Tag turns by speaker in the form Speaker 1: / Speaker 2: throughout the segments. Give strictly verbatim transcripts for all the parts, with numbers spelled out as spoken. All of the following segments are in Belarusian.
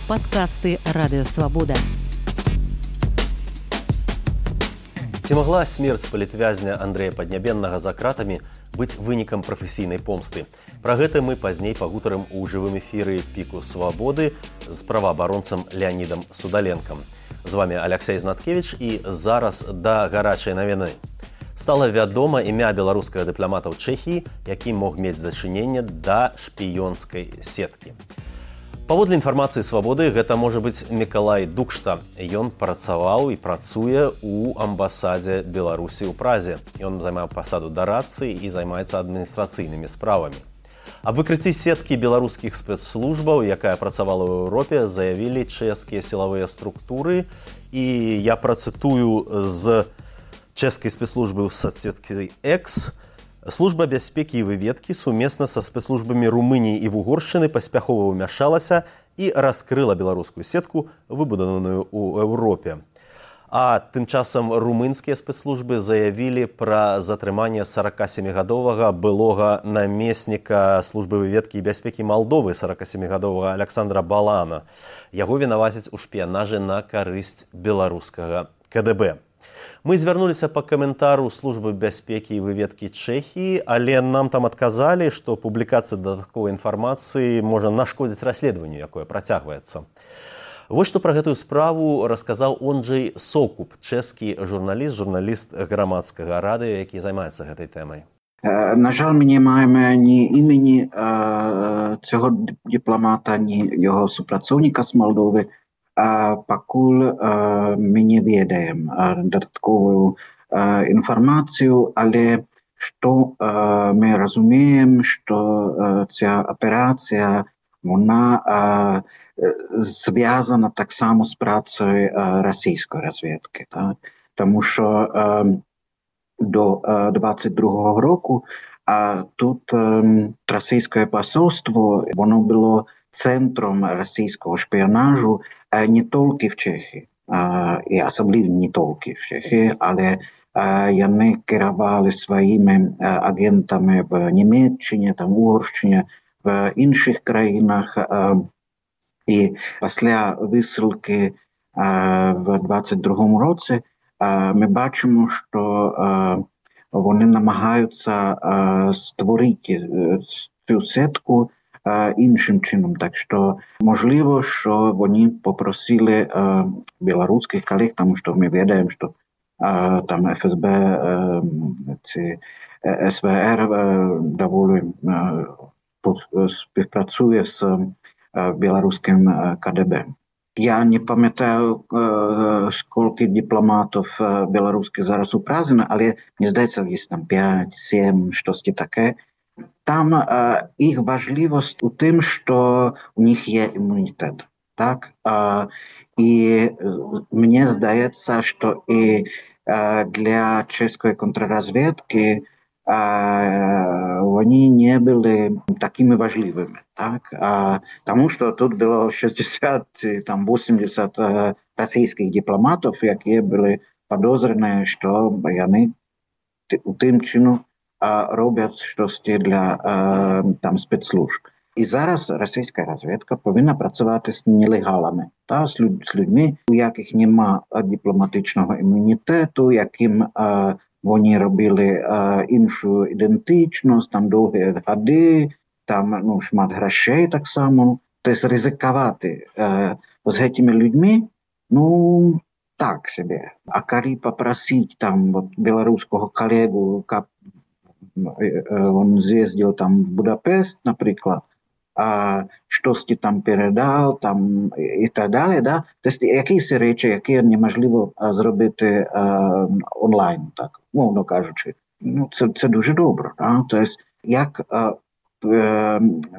Speaker 1: Падкасты Радыёвабода.
Speaker 2: Ці магла смерць палітвязня Андрэя Паднябеннага за кратамі быць вынікам прафесійнай помсты? Пра гэта мы пазней пагутарым у жывым эфіры «Піку свабоды» з праваабаронцам Леанідам Судаленкам. З вами Аляксей Знаткевіч і зараз да гарачай навіны. Стала вядома імя беларускага дыпламата ў Чэхіі, які мог мець дачыненне да шпіёнскай сеткі. Паводле інфармацыі «Свабоды», гэта можа быць Мікалай Дукшта. Ён працаваў і працуе ў амбасадзе Беларусі ў Празе. Ён займае пасаду дарадцы і займаецца адміністрацыйнымі справамі. Аб выкрыцці сеткі беларускіх спецслужбаў, якая працавала ў Еўропе, заявілі чэшскія сілавыя структуры. І я працытую з чэшскай спецслужбы ў соцсеткі X. Служба бяспекі і выведкі сумесна са спецслужбамі Румыніі і Вугоршчыны паспяхова ўмяшалася і раскрыла беларускую сетку, выбудаваную ў Еўропе. А тым часам румынскія спецслужбы заявілі пра затрыманне саракасемігадовага былога намесніка службы выведкі і бяспекі Малдовы саракасемігадовага Аляксандра Балана. Яго вінавацяць у шпіянажы на карысць беларускага ка дэ бэ. Мы звярнуліся па каментару службы бяспекі і выведкі Чэхіі, але нам там адказалі, што публікацыя дадатковай інфармацыі можа нашкодзіць расследаванню, якое працягваецца. Вось што пра гэтую справу расказаў Онджэй Сокуп, чэшскі журналіст, журналіст грамадскага радыё, які займаецца гэтай тэмай.
Speaker 3: На жаль, ми не маємо ні імені цього дипломата, ні його супрацовника з Молдови. А пакуль ми не ведаємо додаткову інформацію, але що ми розуміємо, що ця операція, вона зв'язана так само з працею російської розвідки. Так? Тому що до двадцять другого року тут російське посольство, воно було центром російського шпіонажу не тільки в Чехії, і особливо не тільки в Чехії, але вони керували своїми агентами в Німеччині, там, Угорщині, в інших країнах. І після висилки в двадцять другому році ми бачимо, що вони намагаються створити цю сітку іншим чином. Так що, можливо, що вони попросили білоруських колег, тому що ми відаємо, що там еф ес бе, ці ес ве ер доволі співпрацює з білоруським ка де бе. Я не пам'ятаю, скільки дипломатів білоруських зараз у Празі, але мені здається, є там п'ять, сім, щось таке. Там е, їх важливість у тим, що у них є імунітет. Так? Е, і мені здається, що і е, для чеської контррозвідки е, вони не були такими важливими. Так? Е, тому що тут було шістдесят, там, вісімдесят е, російських дипломатів, які були підозрені, що вони у тим чином роблять щось для там спецслужб. І зараз російська розвідка повинна працювати з нелегалами, та, з, люд, з людьми, у яких нема дипломатичного імунітету, яким а, вони робили а, іншу ідентичність, там довгі годи, там ну, шмат грошей так само. Тобто ризикувати а, з цими людьми, ну, так собі. А коли попросить там вот, білоруського колегу, он з'їздив там в Будапешт, наприклад, а щось там передав, там і так далі, да? Тобто якісь речі, які неможливо зробити а, онлайн, так, мовно кажучи. Ну, це, це дуже добре, да? Тобто, як а,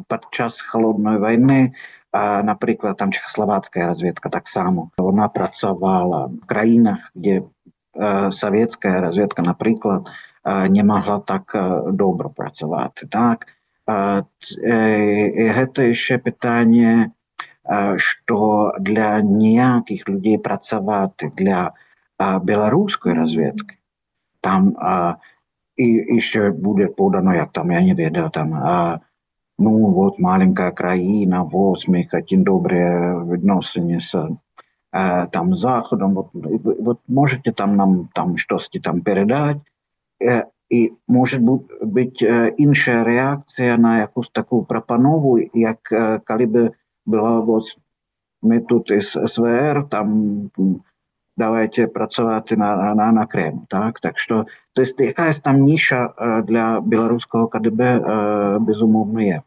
Speaker 3: під час Холодної війни, а, наприклад, там чехословацька розвідка так само, вона працювала в країнах, де а, совєтська розвідка, наприклад, не могла так добре працювати. Так? Це ще питання, що для ніяких людей працювати для білоруської розвідки, там і, і ще буде подано, як там, я не ведаю, там ну вот маленькая країна, ось ми хотим добрые відносини с э, там Заходом, вот, вот можете там нам там что-то там передать, э, і може бути э, інша реакція на якусь таку пропанову, як э, коли б була ось ми тут із СВР, там давайте працювати на, на, на Крим. Так? Так що, то есть, якась там ніша для білоруського КДБ безумовно є.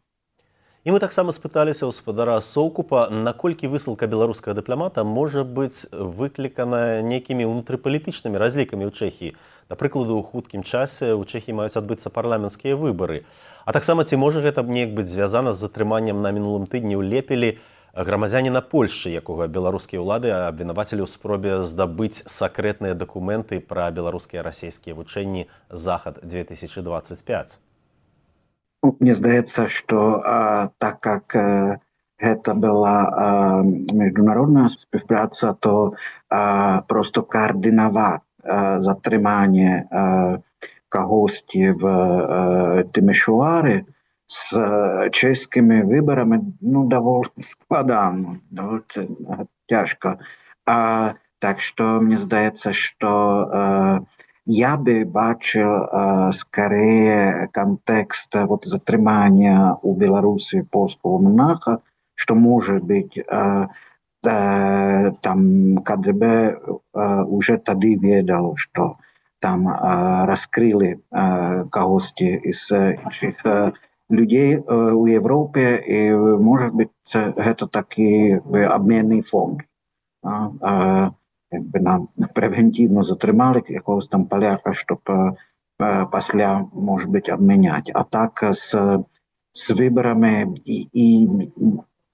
Speaker 2: І ми таксама спыталіся ў спадара Соўкупа, наколькі высылка беларускага дыпламата можа быць выклікана нейкімі ўнутрыпалітычнымі разлікамі ў Чэхіі. Да прыкладу, у хуткім часе ў Чэхіі маюць адбыцца парламенцкія выбары. А таксама ці можа гэта неяк быць звязана з затрыманнем на мінулым тыдні ў Лепелі грамадзяніна Польшчы, якога беларускія ўлады абвінавацілі ў спробе здабыць сакрэтныя дакументы пра беларускія расійскія вучэнні «Захад две тысячи двадцать пять».
Speaker 3: Мне здаецца, што а, так как а, гэта была а, міжнародная співпраца, то а, просто координаваць а, затрыманне а, кагосьці в а, Тимишоарі з а, чэшскімі выбарамі, ну, даволі складана, даволі цяжка. А, так што мне здаецца, што а, я бы бачил э, скорее контекст вот, затрымания у Беларуси польского монаха, что может быть э, э, там КДБ э, уже тогда ведал, что там э, раскрыли э, кого-то из этих э, людей э, у Европы, и может быть это такой обменный фонд. Э, э, якби нам превентивно затримали якогось там поляка, щоб е, після, може бути, обміняти. А так з, з виборами, і, і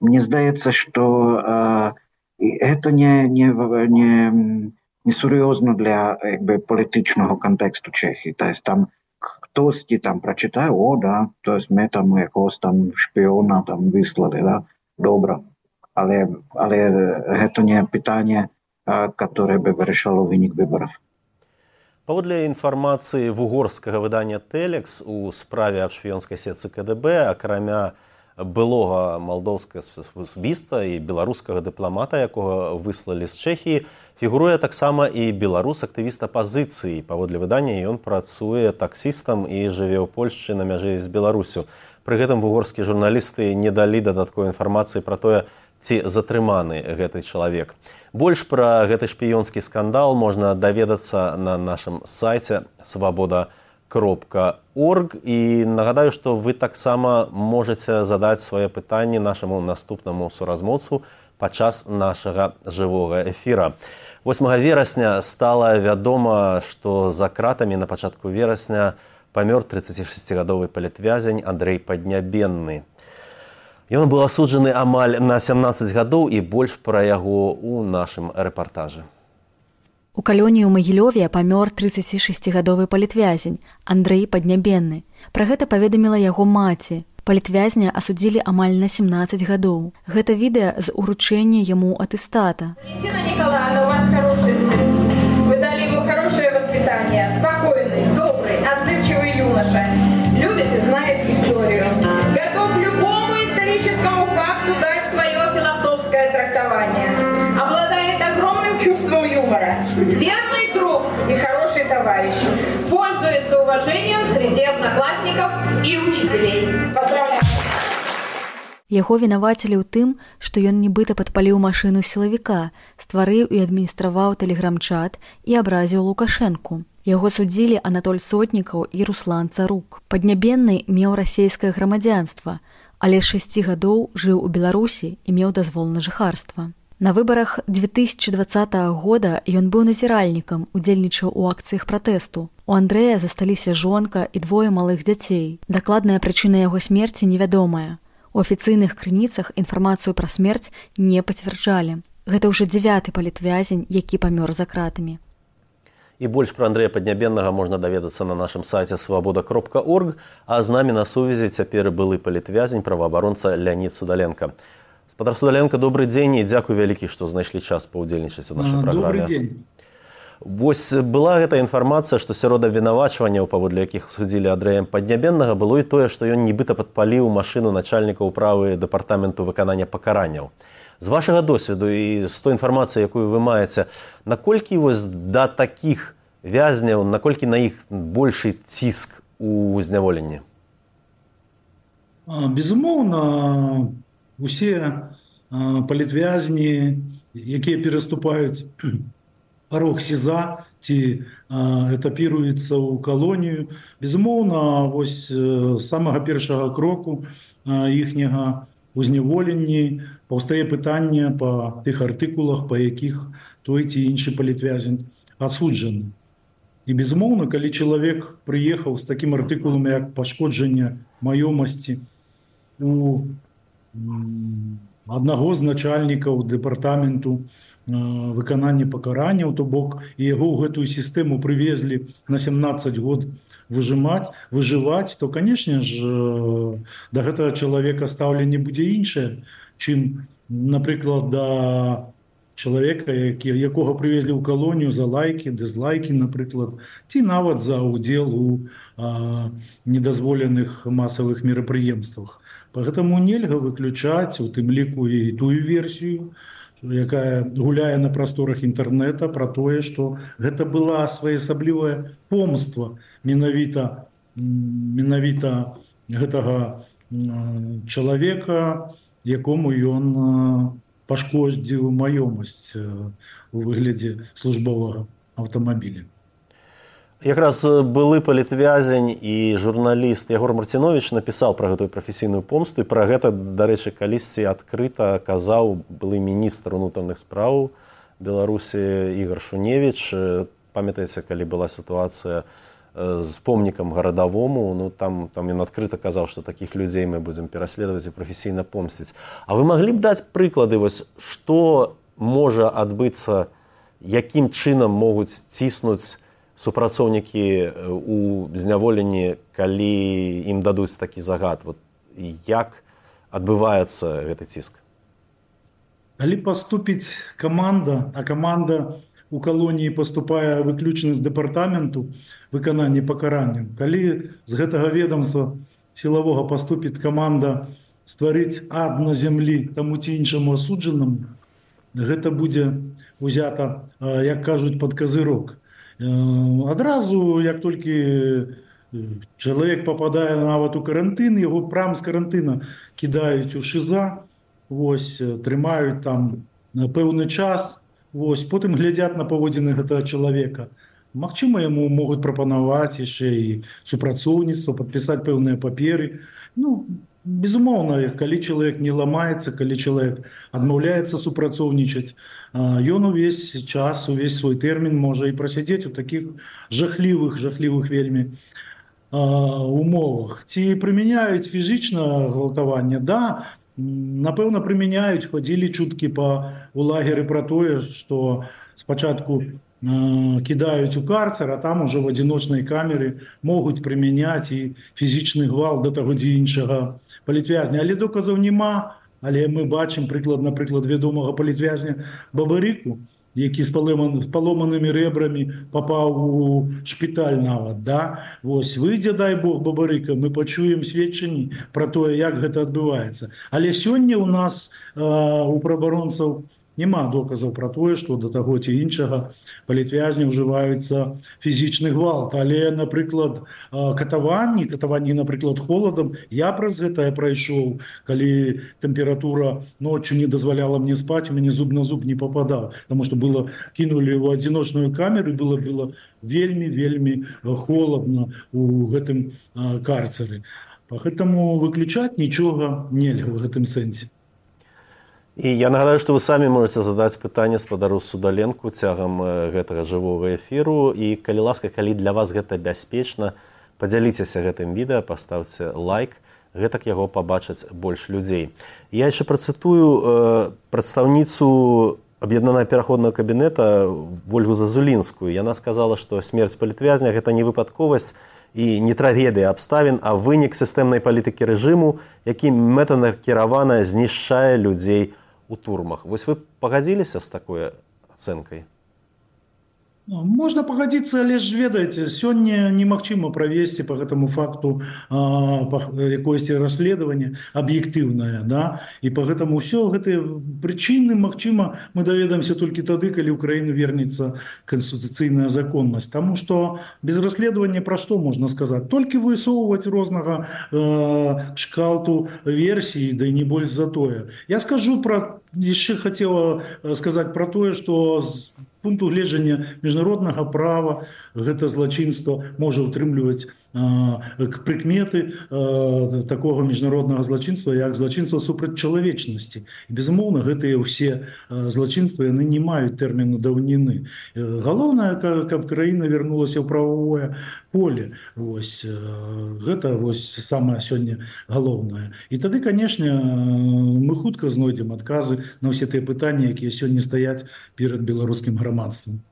Speaker 3: мені здається, що е, це не, не, не, не серйозно для якби, політичного контексту Чехії. Тобто там хтось там прочитає, о, да, тобто ми там якогось там шпіона там вислали, да, добре. Але, але це не питання, которое бы решало вынік выборов.
Speaker 2: Паводле інфармацыі вугорскага выдання «Тэлекс», у справе аб шпіёнскай сетцы КДБ, акрамя былога малдоўскага субіста і беларускага дыпламата, якога выслалі з Чэхіі, фігуруе таксама і беларус-актывіст апазіцыі. Паводле выдання ён працуе таксістам і жыве ў Польшчы на мяжы з Беларусю. Пры гэтым вугорскія журналісты не далі дадатковай інфармацыі пра тое, ці затрыманы гэты чалавек. Больш пра гэты шпіёнскі скандал можна даведацца на нашым сайце свабода кропка орг. І нагадаю, што вы таксама можаце задаць свае пытанні нашаму наступнаму суразмоўцу падчас нашага жывога эфіра. восьмага верасня стала вядома, што за кратамі на пачатку верасня памёр трыццацішасцігадовы палітвязень Андрэй Паднябенны. Ён быў асуджаны амаль на сямнаццаць гадоў, і больш пра яго ў нашым рэпартажы.
Speaker 4: У калоніі ў Магілёве памёр трыццацішасцігадовы палітвязень Андрэй Паднябенны. Пра гэта паведаміла яго маці. Палітвязня асудзілі амаль на сямнаццаць гадоў. Гэта відэа з уручэння яму атэстата.
Speaker 5: Валентина Николаевна, у вас хороший сын. Вы дали ему хорошее воспитание. Спокойный, добрый, отзывчивый юноша. Любит и знает историю. Готов любому историческому факту дать свое философское трактование. Обладает огромным чувством юмора. Верный друг и хороший товарищ. Пользуется уважением среди одноклассников и учителей. Поздравляю!
Speaker 4: Яго вінавацілі ў тым, што ён нібыта падпаліў машыну сілавіка, стварыў і адміністраваў тэлеграм-чат і абразіў Лукашэнку. Яго судзілі Анатоль Сотнікаў і Руслан Царук. Паднябенны меў расейскае грамадзянства, але з шасці гадоў жыў у Беларусі і меў дазвол на жыхарства. На выбарах две тысячи двадцатага года ён быў назіральнікам, удзельнічаў у акцыях пратэсту. У Андрэя засталіся жонка і двое малых дзяцей. Дакладная прычына яго смерці невядомая. У афіцыйных крыніцах інфармацыю пра смерць не пацвярджалі. Гэта ўжо дзявяты палітвязень, які памёр за кратамі.
Speaker 2: І больш пра Андрэя Паднябеннага можна даведацца на нашым сайце свабода кропка орг, а з намі на сувязі цяпер былы палітвязень, праваабаронца Леонид Судаленко. Спадар Судаленко, добрый дзень і дзякуй вялікі, што знайшлі час паўдзельнічаць у нашай праграме.
Speaker 6: Добрый дзень.
Speaker 2: Вось была гэта інфармацыя, што сярод абвінавачванняў, паводле якіх судзілі Андрэя Паднябеннага, было і тое, што ён нібыта падпаліў машыну начальніка ўправы дэпартаменту выканання пакаранняў. З вашага досведу і з той інфармацыі, якую вы маеце, наколькі вось да такіх вязняў, наколькі на іх большы ціск у зняволенні?
Speaker 6: Безумоўна, усе палітвязні, якія пераступаюць парог СІЗА ці этапіруецца ў калонію. Безумоўна, вось з самага першага кроку іхняга узняволенні паўстае пытанне па тых артыкулах, па якіх той ці іншы палітвязень асуджаны. І безумоўна, калі чалавек прыехаў з такім артыкулам, як пашкоджанне маёмасці у аднаго з начальнікаў дэпартаменту выканання пакаранняў, то бок і яго ў гэтую сістэму прывезлі на сямнаццаць год выжимаць, выжываць, то, канешне ж, да гэтага чалавека стаўленне будзе іншае, чым, напрыклад, да чалавека, які, якога прывезлі ў калонію за лайкі, дызлайкі, напрыклад, ці нават за ўдзел у а, недазволеных масавых мерапрыемствах. Поэтому нельга выключаць у тым ліку і тую версію, якая гуляе на прасторах інтэрнэта, пра тое, што гэта была своеасаблівая помства менавіта, менавіта гэтага чалавека, якому ён пашкодзіў маёмасць у выглядзе службовага аўтамабіля.
Speaker 2: Якраз былы палітвязень і журналіст Ягор Марціновіч напісаў пра гэтую прафесійную помсту, і пра гэта, дарэчы, калісьці адкрыта казаў былы міністр унутраных спраў Беларусі Ігор Шуневіч. Памятаеце, калі была сітуацыя з помнікам гарадавому, ну там, там ён адкрыта казаў, што такіх людзей мы будзем пераследаваць і прафесійна помсціць. А вы маглі б даць прыклады, вось, што можа адбыцца, якім чынам могуць ціснуць супрацоўнікі у зняволенні, калі ім дадуць такі загад? Вот як адбываецца гэты ціск?
Speaker 6: Калі паступіць каманда, а каманда у калоніі паступае выключна з дэпартаменту выканання пакаранняў, калі з гэтага ведомства сілавога паступіць каманда стварыць ад на зямлі таму ці іншаму асуджанаму, гэта будзе узята, як кажуць, пад казырок. Адразу, як толькі чалавек пападае нават у карантын, яго прям з карантына кідаюць у ШІЗА, вось, трымаюць там на пэўны час, вось, потым глядзяць на паводзіны гэтага чалавека. Магчыма, яму могуць прапанаваць яшчэ і супрацоўніцтва, падпісаць пэўныя паперы. Ну, безумоўна, калі чалавек не ламаецца, калі чалавек адмаўляецца супрацоўнічаць, ён увесь час, увесь свой тэрмін можа і прасядзець у такіх жахлівых, жахлівых вельмі умовах. Ці прымяняюць фізічна гвалтаванне? Да, напэўна, прымяняюць. Хадзілі чуткі па у лагеры пра тое, што спачатку кідаюць у карцер, а там ужо в адзіночнай камеры могуць прымяняць і фізічны гвалт да таго ці іншага палітвязня. Але доказаў няма. Але мы бачым прыклад, напрыклад, вядомага палітвязня Бабарыку, які з паломанымі рэбрамі папаў у шпіталь нават. Да? Вось, выйдзе, дай Бог, Бабарыка, мы пачуем сведчанні пра тое, як гэта адбываецца. Але сёння ў нас э, у праваабаронцаў няма доказаў пра тое, што да таго ці іншага палітвязня ўжываюцца фізічны гвалт. Але, напрыклад, катаванні, катаванні, напрыклад, холадам, я праз гэта прайшоў, калі тэмпература ноччу не дазваляла мне спаць, у мяне зуб на зуб не пападаў, таму што было кінулі ў адзіночную камеру, было было вельмі вельмі холадна у гэтым карцеры. Гэтаму выключаць нічога нельга ў гэтым сэнсе.
Speaker 2: І я нагадаю, што вы самі можаце задаць пытанне спадару Судаленку цягам гэтага жывога эфіру. І, калі ласка, калі для вас гэта бяспечна, падзяліцеся гэтым відэа, паставце лайк, гэтак яго пабачаць больш людзей. Я яшчэ працытую э, прадстаўніцу аб'яднанага пераходнага кабінета Вольгу Зазулінскую. Яна сказала, што смерць палітвязня – гэта не выпадковасць і не трагедыя абставін, а вынік сістэмнай палітыкі рэжыму, які мэтанакіравана знішчае людзей у турмах. Вось вы пагадзіліся з такой ацэнкай?
Speaker 6: Можна пагадзіцца, але ж ведаеце, сёння немагчыма правесці по гэтаму факту а, якоесьці расследаванне аб'ектыўнае, да? І по гэтаму ўсё гэтыя прычыны, магчыма, мы даведаемся толькі тады, калі ў краіну вернецца канстытуцыйная законнасць. Таму што без расследавання пра што можна сказаць? Толькі высоўваць рознага э, шкалту версій, да і не больш за тое. Я скажу пра, яшчэ хацела сказаць пра тое, што з пункту гледжання міжнароднага права гэта злачынства можа ўтрымліваць прыкметы такого міжнароднага злачынства, як злачынства супраць чалавечнасці. І, безумоўна, гэтыя ўсе злачынствы яны не маюць тэрміну даўніны. Галоўнае, каб краіна вярнулася ў прававое поле. Вось, гэта вось самае сёння галоўнае. І тады, канешне, мы хутка знойдзем адказы на ўсе тыя пытанні, якія сёння стаяць перад беларускім грамадствам.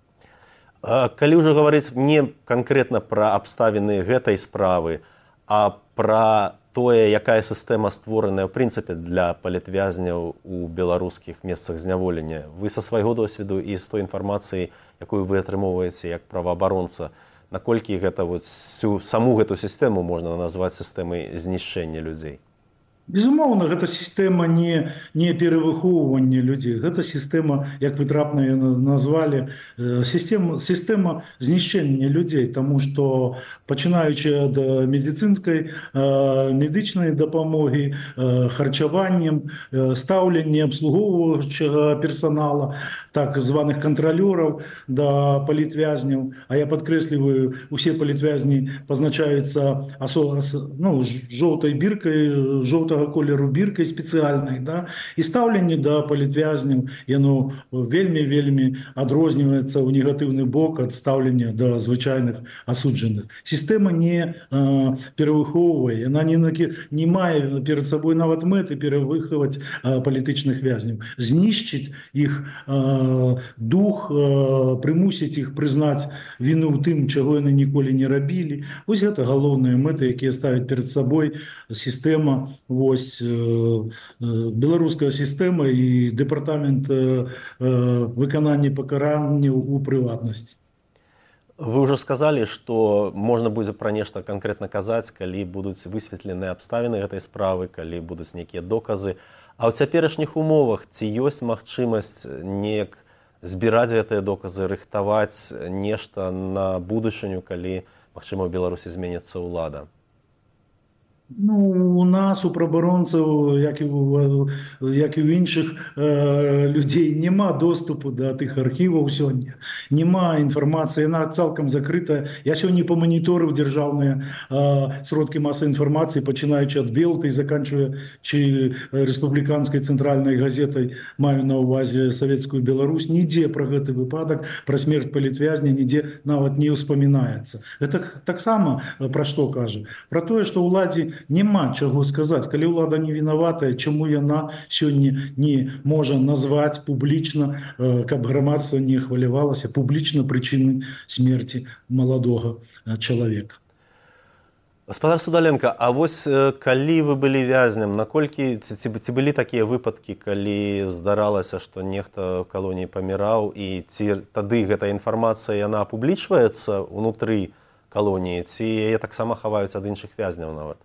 Speaker 2: Калі ўжо гаварыць не канкрэтна пра абставіны гэтай справы, а пра тое, якая сістэма створаная ў прынцыпе для палітвязняў у беларускіх месцах зняволення, вы са свайго досведу і з той інфармацыі, якую вы атрымоўваеце як праваабаронца, наколькі гэта вот всю саму гэту сістэму можна назваць сістэмай знішчэння людзей?
Speaker 6: Безумоўна, гэта сістэма не, не перавыхоўвання людзей. Гэта сістэма, як вы трапна назвалі, сістэма, сістэма знішчэння людзей, таму што пачынаючы ад медыцынскай, медычнай дапамогі, харчаваннем, стаўлення абслугоўваючага персанала, так званых кантралёраў да палітвязняў. А я падкрэсліваю, усе палітвязні пазначаюцца асо, ну, жоўтай біркай, жоўтага колеру біркай спецыяльнай, да? І стаўленне да палітвязняў, яно вельмі-вельмі адрозніваецца ў негатыўны бок ад стаўлення да звычайных асуджаных. Сістэма не а, перавыхоўвае, яна не, не мае перад сабой нават мэты перавыхаваць а, палітычных вязняў. Знішчыць іх а, дух, а, прымусіць іх прызнаць віну ў тым, чаго яны ніколі не рабілі. Вось гэта галоўныя мэты, якія ставяць перад сабой сістэма, вось беларуская сістэма і дэпартамент выканання пакаранняў у прыватнасці.
Speaker 2: Вы ўжо сказалі, што можна будзе пра нешта канкрэтна казаць, калі будуць высветленыя абставіны гэтай справы, калі будуць нейкія доказы. А ў цяперашніх умовах ці ёсць магчымасць неяк збіраць гэтыя доказы, рыхтаваць нешта на будучыню, калі, магчыма, у Беларусі зменіцца ўлада?
Speaker 6: Ну, у нас, у праваабаронцаў, як і у, як і ў іншых э, людзей, няма доступу да тых архіваў сёння. Няма інфармацыі, яна цалкам закрытая. Я сёння паманіторыў дзяржаўныя э, сродкі масавай інфармацыі, пачынаючы ад Белты і заканчваючы рэспубліканскай цэнтральнай газетай, маю на ўвазе савецкую Беларусь. Нідзе пра гэты выпадак, пра смерць палітвязня, нідзе нават не ўспамінаецца. Гэта таксама пра што кажа? Пра тое, што ўладзе няма чаго сказаць, калі ўлада не вінаватая, чаму яна сёння не можа назваць публічна, каб грамадства не хвалявалася публічна прычыны смерці маладога чалавека.
Speaker 2: Гаспадар Судаленко, а вось калі вы былі вязням, наколькі ці, ці былі такія выпадкі, калі здаралася, што нехта ў калоніі паміраў, і ці тады гэта інфармацыя яна апублічваецца ўнутры калоніі, ці яе таксама хаваюць ад іншых вязняў нават?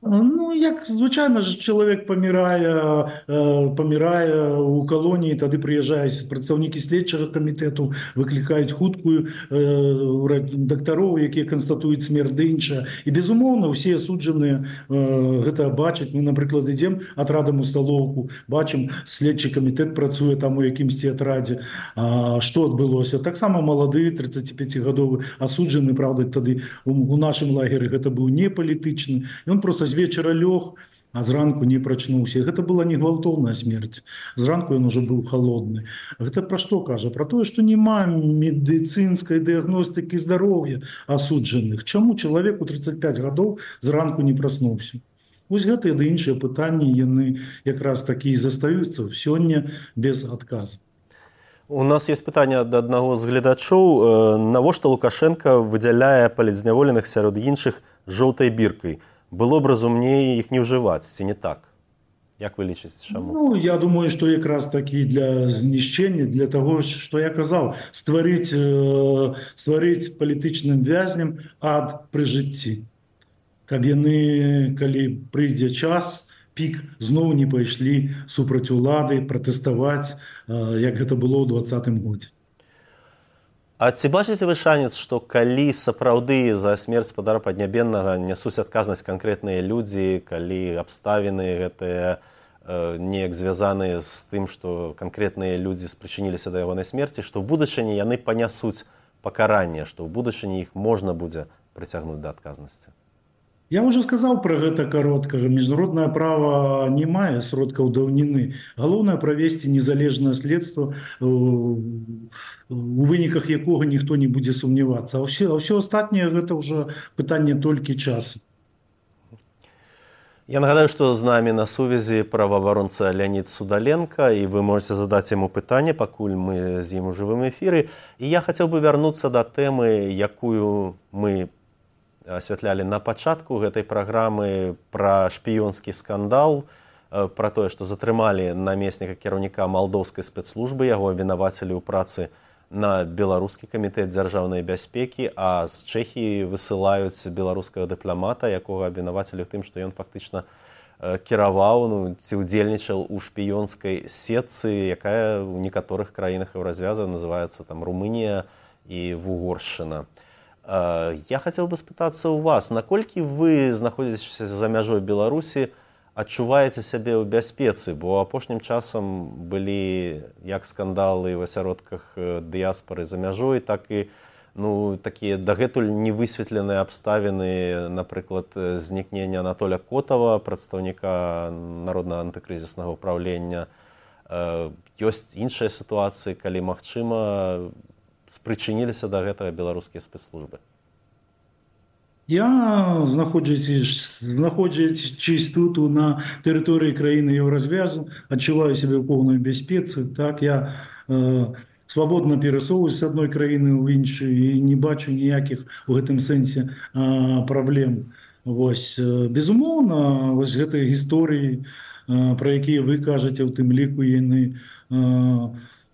Speaker 6: Ну, як звычайна ж чалавек памірае, памірае ў калоніі, тады прыязджаюць прадстаўнікі следчага камітэту, выклікаюць хуткую дактароў, якія канстатуюць смерць ды іншае. І, безумоўна, усе асуджаныя гэта бачаць. Мы, напрыклад, ідзем атрадам у сталоўку, бачым, следчы камітэт працуе там у якімсьці атрадзе. А што адбылося? Таксама малады, трыццаціпяцігадовы асуджаны, правда, тады у нашым лагеры гэта быў не палітычны. Ён проста з вечара лёг, а зранку не прачнуўся. Гэта была не гвалтоўная смерць. Зранку ён ужо быў халодны. Гэта пра што кажа? Пра тое, што няма медыцынскай дыягностыкі здароўя асуджаных. Чаму чалавек у трыццаць пяць гадоў зранку не праснуўся? Вось гэтыя ды іншыя пытанні, яны якраз такі і застаюцца сёння без адказу.
Speaker 2: У нас есть пытанне ад аднаго з гледачоў. Навошта Лукашенко выдзяляе палітзняволеных сярод іншых жоўтай біркай? Было б разумней іх не ўжываць, ці не так? Як вы лічыце, чаму?
Speaker 6: Ну, я думаю, што якраз такі для знішчэння, для таго, што я казаў, стварыць, э, стварыць палітычным вязням ад пры жыцці. Каб яны, калі прыйдзе час, пік зноў не пайшлі супраць улады, пратэставаць, э, як гэта было ў двадцатым годзе.
Speaker 2: А ці бачыце вы шанец, што калі сапраўды за смерць спадара Паднябеннага нясуць адказнасць канкрэтныя людзі, калі абставіны гэтыя э, неяк звязаныя з тым, што канкрэтныя людзі спрычыніліся да ягонай смерці, што ў будучыні яны панясуць пакаранне, што ў будучыні іх можна будзе прыцягнуць да адказнасці?
Speaker 6: Я уже сказаў пра гэта каротка. Міжнароднае права не мае сродкаў даўніны. Галоўнае правесці незалежнае следства, у выніках якога ніхто не будзе сумнявацца. А ўсё, а ўсё астатняе гэта ўжо пытанне толькі часу.
Speaker 2: Я нагадаю, што з намі на сувязі праваабаронца Леонид Судаленко, і вы можете задаць яму пытанне, пакуль мы з ім у жывым эфіры. І я хацеў бы вярнуцца да тэмы, якую мы асвятлялі на пачатку гэтай праграмы, пра шпіёнскі скандал, пра тое, што затрымалі намесніка кіраўніка малдоўскай спецслужбы, яго абвінавацілі ў працы на беларускі камітэт дзяржаўнай бяспекі, а з Чэхіі высылаюць беларускага дыпламата, якога абвінавацілі ў тым, што ён фактычна кіраваў, ну, ці ўдзельнічаў у шпіёнскай сетцы, якая ў некаторых краінах еўразвяза называецца там Румынія і Вугоршчына. Я хацеў бы спытацца ў вас, наколькі вы, знаходзячыся за мяжой Беларусі, адчуваеце сябе ў бяспецы, бо апошнім часам былі як скандалы ў асяродках дыяспары за мяжой, так і ну, такія дагэтуль невысветленыя абставіны, напрыклад, знікнення Анатоля Котава, прадстаўніка Народнага антыкрызіснага ўпраўлення. Ёсць іншыя сітуацыі, калі магчыма, спрычыніліся да гэтага беларускія спецслужбы.
Speaker 6: Я, знаходзячись, знаходзячись тут на тэрыторыі краіны еўразвязу, адчуваю сябе ў поўнай бяспецы. Так, я э, свабодна перасоўваюсь з адной краіны ў іншую і не бачу ніякіх у гэтым сэнсе э, праблем. Вось, э, безумоўна, вось гэтыя гісторыі, э, пра якія вы кажаце, у тым ліку яны э,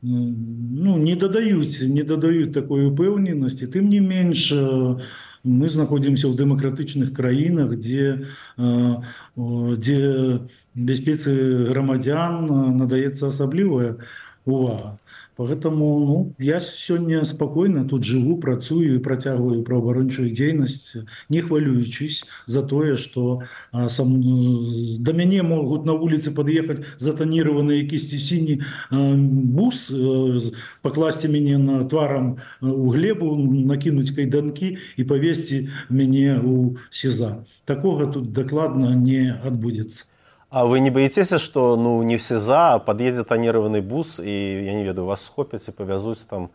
Speaker 6: ну, не дадаюць, не дадаюць такой упэўненасці. Тым не менш, мы знаходзімся ў дэмакратычных краінах, дзе, дзе бяспецы грамадзян надаецца асаблівая увага. Поэтому ну, я сёння спакойна тут жыву, працую і працягваю праваабарончую дзейнасць, не хвалюючись за тое, што а, сам, да мяне могуць на вуліцы пад'ехаць затанірваны якісьці сіні а, бус, а, пакласці мяне на тварам у глебу, накінуць кайданкі і павесці мяне ў СІЗА. Такога тут дакладна не адбудзецца.
Speaker 2: А вы не боитесь, что ну, не в СИЗА, а подъедет тонированный бус, и, я не ведаю, вас схопят и повязуть там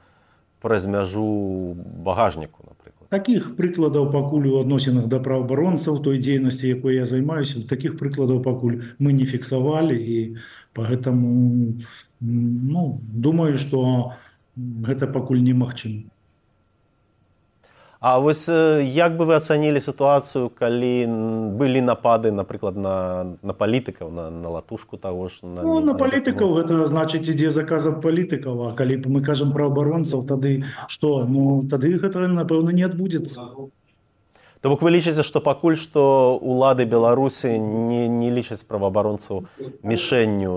Speaker 2: праз мяжу багажніку, наприклад?
Speaker 6: Таких прыкладаў пакуль у адносінах да праваабаронцаў той дзейнасці, якой я займаюся, таких прыкладаў пакуль мы не фіксавалі, і поэтому ну, думаю, што гэта пакуль немагчыма.
Speaker 2: А вось як бы вы ацанілі сітуацыю, калі былі напады, напрыклад, на, на палітыкаў, на, на латушку таго ж? На,
Speaker 6: ну, на палітыкаў гэта значыць ідзе заказ ад палітыкаў, а калі мы кажам пра абаронцаў, тады што? Ну, тады гэта, напэўна, не адбудзецца.
Speaker 2: То бок вы лічыце, што пакуль што ўлады Беларусі не, не лічаць праваабаронцаў мішэнню,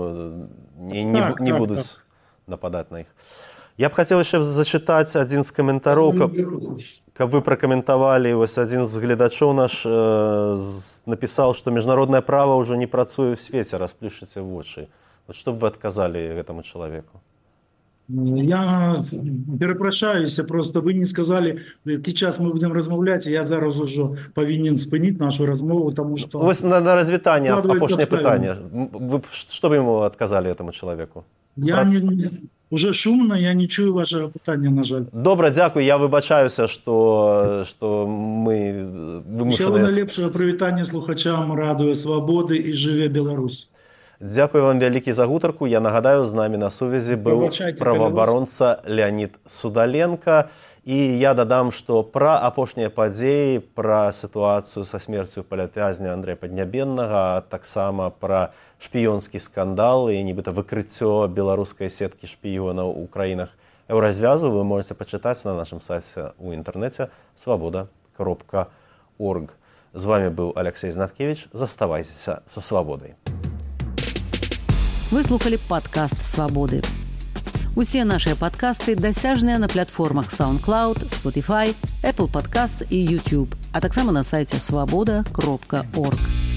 Speaker 2: не, не, так, не так, будуць так. нападаць на іх. Я б хацеў яшчэ зачытаць адзін з каментароў, каб, каб вы пракаментавалі. Вось адзін з гледачоў наш э, напісаў, што міжнароднае права ўжо не працуе ў свеце, расплюшчыце вочы. Вот што б вы адказалі гэтаму чалавеку?
Speaker 6: Я перапрашаюся, просто вы не сказалі, які час мы будзем размаўляць, я зараз ужо павінен спыніць нашу размову, таму што...
Speaker 2: Вось на, на развітанне апошняе пытанне. Вы што бы яму адказалі этаму чалавеку?
Speaker 6: Я не... Уже шумно, я не чую вашего пытання, на жаль.
Speaker 2: Добра, дзякуй, я выбачаюся, што, што мы вымушаныя...
Speaker 6: Усяго найлепшага прывітання слухачам радыё Свабоды і жыве Беларусь.
Speaker 2: Дзякуй вам вялікі за гутарку. Я нагадаю, з намі на сувязі быў праваабаронца Леонид Судаленко. І я дадам, што пра апошнія падзеі, пра сітуацыю са смерцю палітвязня Андрэя Паднябеннага, а таксама пра шпіёнскі скандал і нібыта выкрыццё беларускай сеткі шпіёнаў у краінах еўразвязу вы можете пачытаць на нашым сайце ў інтэрнэце свабода кропка орг. З вами быў Алексей Знаткевич. Заставайцеся са свабодай.
Speaker 1: Вы слухали падкаст «Свабоды». Усе нашыя падкасты дасяжныя на платформах SoundCloud, Spotify, Apple Podcasts і YouTube, а таксама на сайце свабода кропка орг.